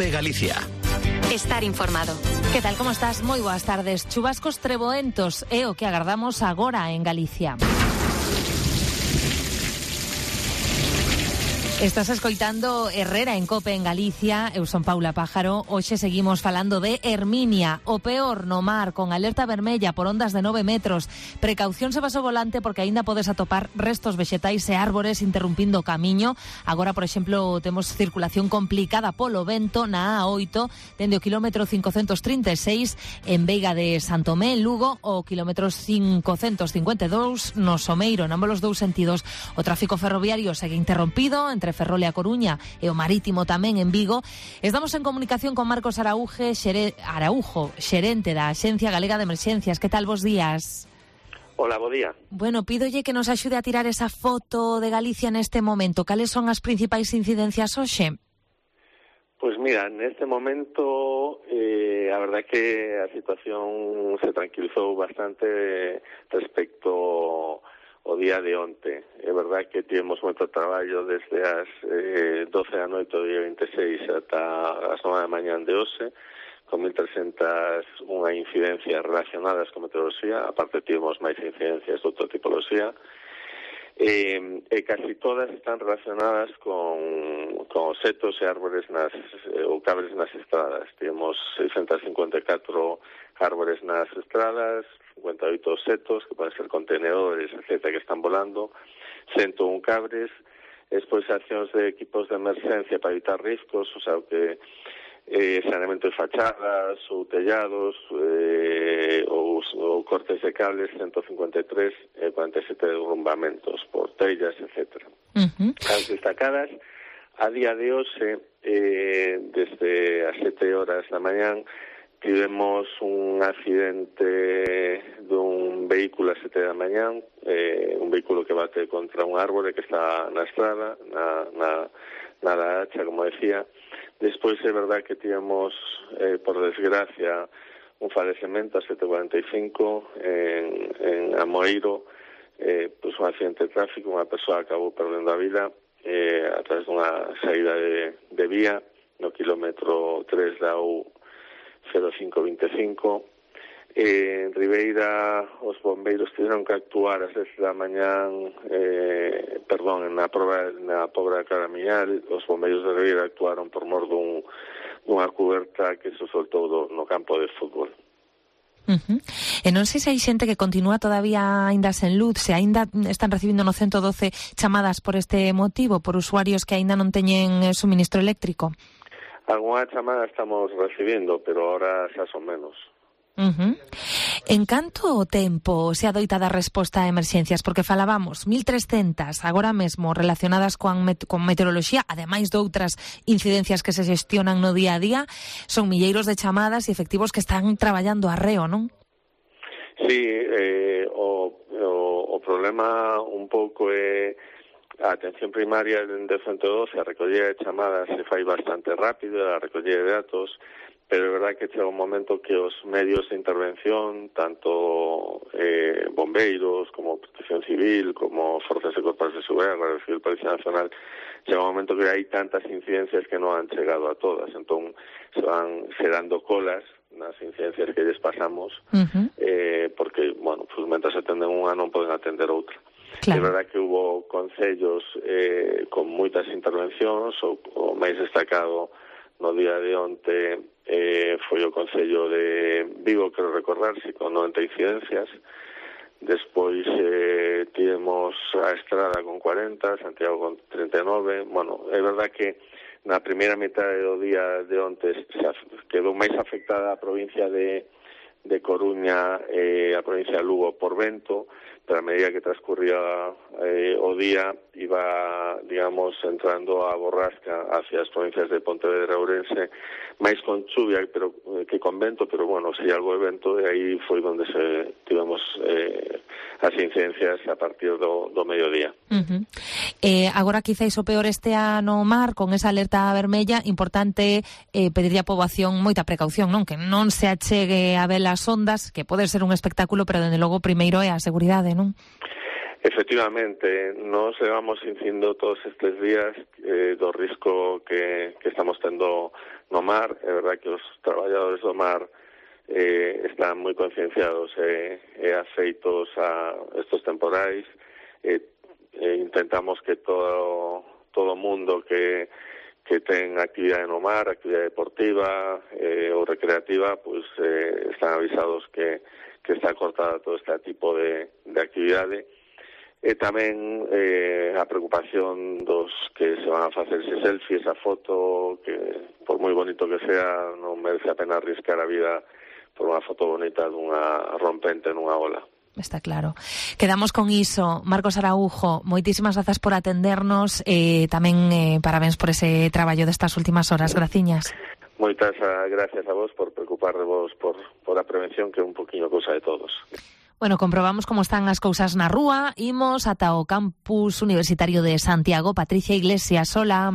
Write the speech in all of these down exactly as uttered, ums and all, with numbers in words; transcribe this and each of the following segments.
COPE Galicia. Estar informado. Que tal, como estás? Moi boas tardes. Chubascos treboentos é o que agardamos agora en Galicia. Estás escoitando Herrera en COPE en Galicia. Eu son Paula Pájaro. Hoxe seguimos falando de Herminia, o peor no mar, con alerta vermella por ondas de nove metros. Precaución se vas ao volante porque aínda podes atopar restos vexetais e árbores interrumpindo o camiño. Agora, por exemplo, temos circulación complicada polo vento na A oito, dende o quilómetro cincocentos trinta e seis en Veiga de Santomé, en Lugo, o quilómetro cincocentos cincuenta e dous no Someiro, en ambos os dous sentidos. O tráfico ferroviario segue interrompido entre Ferrol e a Coruña e o marítimo tamén en Vigo. Estamos en comunicación con Marcos Araúje, xere, Araujo, xerente da Axencia Galega de Emerxencias. Que tal, bos días? Hola, bo día. Bueno, pídolle que nos axude a tirar esa foto de Galicia neste momento. Cales son as principais incidencias hoxe? Pois mira, neste momento eh, a verdade que a situación se tranquilizou bastante respecto o día de onte. É verdade que tivemos moito traballo desde as eh, doce da noite do día vinte e seis ata as nove da mañá de hoxe, con mil trescentas unha incidencias relacionadas con meteoroloxía, aparte tivemos máis incidencias de outra tipoloxía, e, e casi todas están relacionadas con, con os setos e árbores nas, ou cabres nas estradas. Tivemos seiscentos cincuenta e catro árbores nas estradas, cincuenta e oito setos, que poden ser contenedores, etcétera, que están volando, ciento un cabres, despois accións de equipos de emerxencia para evitar riscos, o sea, que eh, saneamento de fachadas ou tellados, eh, ou, ou cortes de cables, ciento cincuenta e tres, e cuarenta e sete derrumbamentos por tellas, etcétera. Uh-huh. As destacadas, a día de hoxe, eh, desde as sete horas da mañán, tivemos un accidente dun vehículo a sete da mañán, eh, un vehículo que bate contra un árbore que está na estrada, na, na, na da hacha, como decía. Despois é verdade que tivemos, eh, por desgracia, un falecemento a sete cuarenta e cinco en, en Amoeiro, eh, pues un accidente de tráfico, unha persoa acabou perdendo a vida eh, a través dunha saída de, de vía no quilómetro tres da U cero cinco vinte e cinco. Eh, en Ribeira os bombeiros tiveron que actuar ás dez da mañán, eh, perdón, na prova na Pobra de Caramiñal. Os bombeiros de Ribeira actuaron por mor dun, dunha cuberta que se soltou do, no campo de fútbol. Uh-huh. E non sei se hai xente que continúa todavía aínda sen luz, se aínda están recibindo no ciento doce chamadas por este motivo, por usuarios que aínda non teñen suministro eléctrico. Alguna chamada estamos recibindo, pero ahora xa son menos. Uh-huh. En canto tempo se adoita dar resposta a emerxencias? Porque falábamos mil trescentas agora mesmo relacionadas con, met- con meteoroloxía, ademais de outras incidencias que se xestionan no día a día. Son milleiros de chamadas e efectivos que están traballando arreo, non? Sí, eh, o, o, o problema un pouco é a atención primaria de ciento doce, a recollida de chamadas se fai bastante rápido, a recollida de datos, pero é verdade que chega un momento que os medios de intervención, tanto eh, bombeiros, como Protección Civil, como Forzas e Corpos de Seguridade, Guardia Civil, Policía Nacional, chega un momento que hai tantas incidencias que non han chegado a todas, entón se van xerando colas nas incidencias que lles pasamos, uh-huh. eh, porque, bueno, pues, mentras atenden unha non poden atender outra. Claro. É verdade que hubo concellos eh, con moitas intervencións, o, o máis destacado no día de onte eh, foi o Concello de Vigo, quero recordar, si con noventa incidencias. Despois eh, tivemos a Estrada con cuarenta, Santiago con treinta e nove. Bueno, é verdade que na primeira metade do día de onte se quedou máis afectada a provincia de, de Coruña e a provincia de Lugo por vento, pero a medida que transcurría eh, o día iba, digamos, entrando a borrasca hacia as provincias de Pontevedra e Ourense, máis con chuvia pero, eh, que con vento, pero bueno, si algo de vento, e aí foi onde se tivemos eh, as incidencias a partir do, do mediodía. Uh-huh. Eh, agora quizáis o peor estea no mar, con esa alerta vermella, importante eh, pedirlle a poboación moita precaución, non? Que non se achegue a ver as ondas, que pode ser un espectáculo, pero dende logo primeiro é a seguridade, non? Efectivamente, nos levamos dicindo todos estes días eh, do risco que, que estamos tendo no mar. É verdad que os traballadores do mar eh, están moi concienciados e eh, eh, afeitos a estos temporais. Eh, eh, intentamos que todo todo mundo que que ten actividade no mar, actividade deportiva eh, ou recreativa, pues eh, están avisados que, que está cortada todo este tipo de, de actividade. E tamén eh, a preocupación dos que se van a facer ese selfie, esa foto, que por moi bonito que sea, non merece a pena arriscar a vida por unha foto bonita dunha rompente nunha ola. Está claro. Quedamos con iso. Marcos Araujo, moitísimas grazas por atendernos e eh, tamén eh, parabéns por ese traballo destas últimas horas. Graciñas. Moitas gracias a vos por preocupar de vos por, por a prevención, que é un poquinho cousa de todos. Bueno, comprobamos como están as cousas na rúa. Imos ata o campus universitario de Santiago. Patricia Iglesias, hola.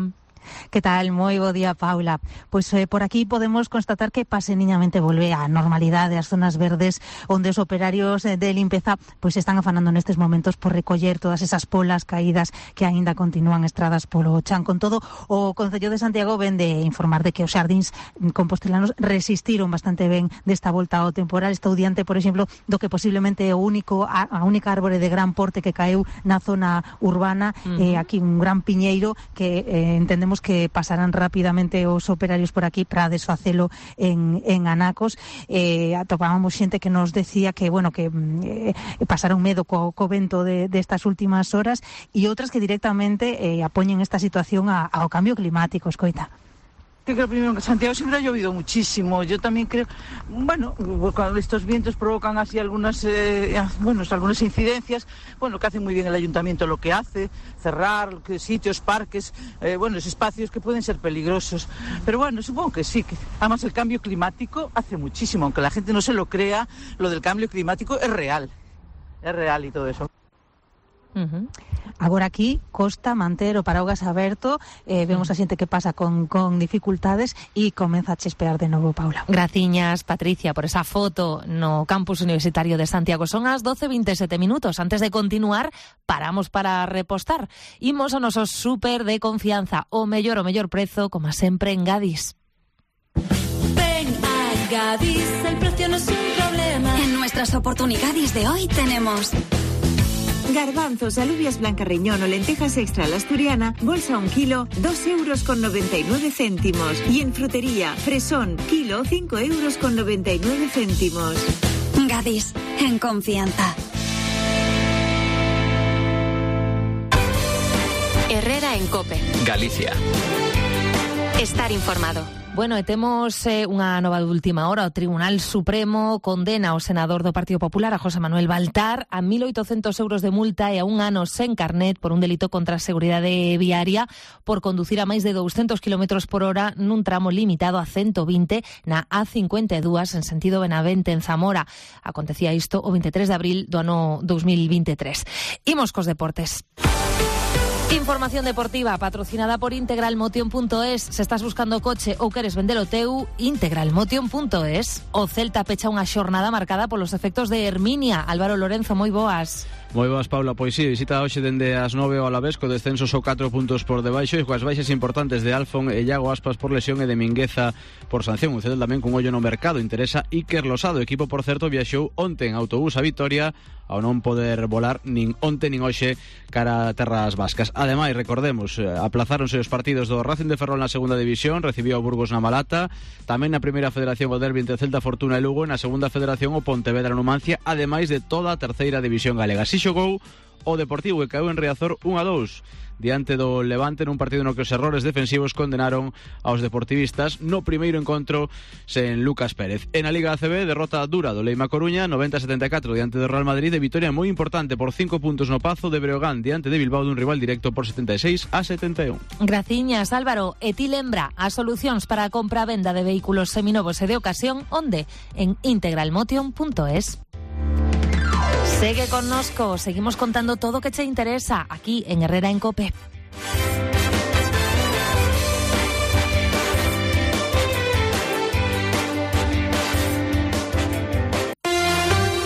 Que tal? Moi bo día, Paula. Pois eh, por aquí podemos constatar que paseniñamente volve a normalidade as zonas verdes, onde os operarios de limpeza pois están afanando nestes momentos por recoller todas esas polas caídas que aínda continúan estradas polo chan. Con todo, o Concello de Santiago ven de informar de que os xardíns compostelanos resistiron bastante ben desta volta ao temporal. Estou diante, por exemplo, do que posiblemente é o único a, a única árbore de gran porte que caeu na zona urbana. Uh-huh. eh, aquí un gran piñeiro que eh, entendemos que pasarán rapidamente os operarios por aquí para desfacelo en, en anacos. Eh, atopábamos xente que nos decía que, bueno, que eh, pasaron medo co, co vento de, de estas últimas horas, e outras que directamente eh, apoñen esta situación a, ao cambio climático. Escoita. Yo creo primero que en Santiago siempre ha llovido muchísimo. Yo también creo, bueno, cuando estos vientos provocan así algunas, eh, bueno, algunas incidencias, bueno, que hace muy bien el ayuntamiento lo que hace, cerrar sitios, parques, eh, bueno, esos espacios que pueden ser peligrosos. Pero bueno, supongo que sí, que además el cambio climático hace muchísimo, aunque la gente no se lo crea, lo del cambio climático es real, es real y todo eso. Uh-huh. Agora aquí costa manter o paraugas aberto, eh, vemos a xente que pasa con, con dificultades e comeza a chispear de novo, Paula. Graciñas, Patricia, por esa foto no campus universitario de Santiago. Son as doce e veintesete minutos. Antes de continuar, paramos para repostar. Imos ao noso súper de confianza, o mellor, o mellor prezo, como sempre en Gadis. Ven a Gadis, el precio no es un problema. En nuestras oportunidades de hoy tenemos garbanzos, alubias blanca riñón o lentejas extra a la asturiana, bolsa un kilo, dos euros con noventa y nueve céntimos. Y en frutería, fresón, kilo, cinco euros con noventa y nueve céntimos. Gadis, en confianza. Herrera en COPE. Galicia. Estar informado. Bueno, e temos eh, unha nova de última hora. O Tribunal Supremo condena ao senador do Partido Popular, a José Manuel Baltar, a mil oitocentos euros de multa e a un ano sen carnet por un delito contra a seguridade viaria por conducir a máis de douscentos kilómetros por hora nun tramo limitado a ciento vinte na A cincuenta e dúas en sentido Benavente, en Zamora. Acontecía isto o veintitrés de abril do ano dos mil veintitrés. Imos cos deportes. Información deportiva patrocinada por integralmotion punto es. Se estás buscando coche ou queres vender o teu, integralmotion punto es. O Celta pecha unha xornada marcada polos efectos de Herminia. Álvaro Lorenzo, moi boas. Moi boas, Paula. Pois sí, visita hoxe dende as nove ao Alavés, co descenso só catro puntos por debaixo e coas baixas importantes de Alfon e Iago Aspas por lesión e de Mingueza por sanción. O Celta tamén cun ollo no mercado. Interesa Iker Losado. O equipo, por certo, viaxou onte en autobús a Vitoria ao non poder volar nin onte nin hoxe cara a terras vascas. Ademais, recordemos, aplazáronse os partidos do Racing de Ferrol na segunda división, recibiu o Burgos na Malata, tamén na primeira federación o derbi entre Celta, Fortuna e Lugo, e na segunda federación o Pontevedra Numancia, ademais de toda a terceira división galega. Si xogou o Deportivo, que caeu en Riazor un a dous diante do Levante nun partido no que os errores defensivos condenaron aos deportivistas no primeiro encontro sen Lucas Pérez. En a Liga A C B, derrota dura do Leima Coruña, noventa a setenta e catro diante do Real Madrid, e vitoria moi importante por cinco puntos no Pazo de Breogán diante de Bilbao dun rival directo por setenta e seis a setenta e un. Graciñas, Álvaro. E ti lembra as solucións para a compra e venda de vehículos seminovos e de ocasión, onde? En integralmotion punto es. Segue connosco, seguimos contando todo o que che interesa aquí en Herrera en COPE.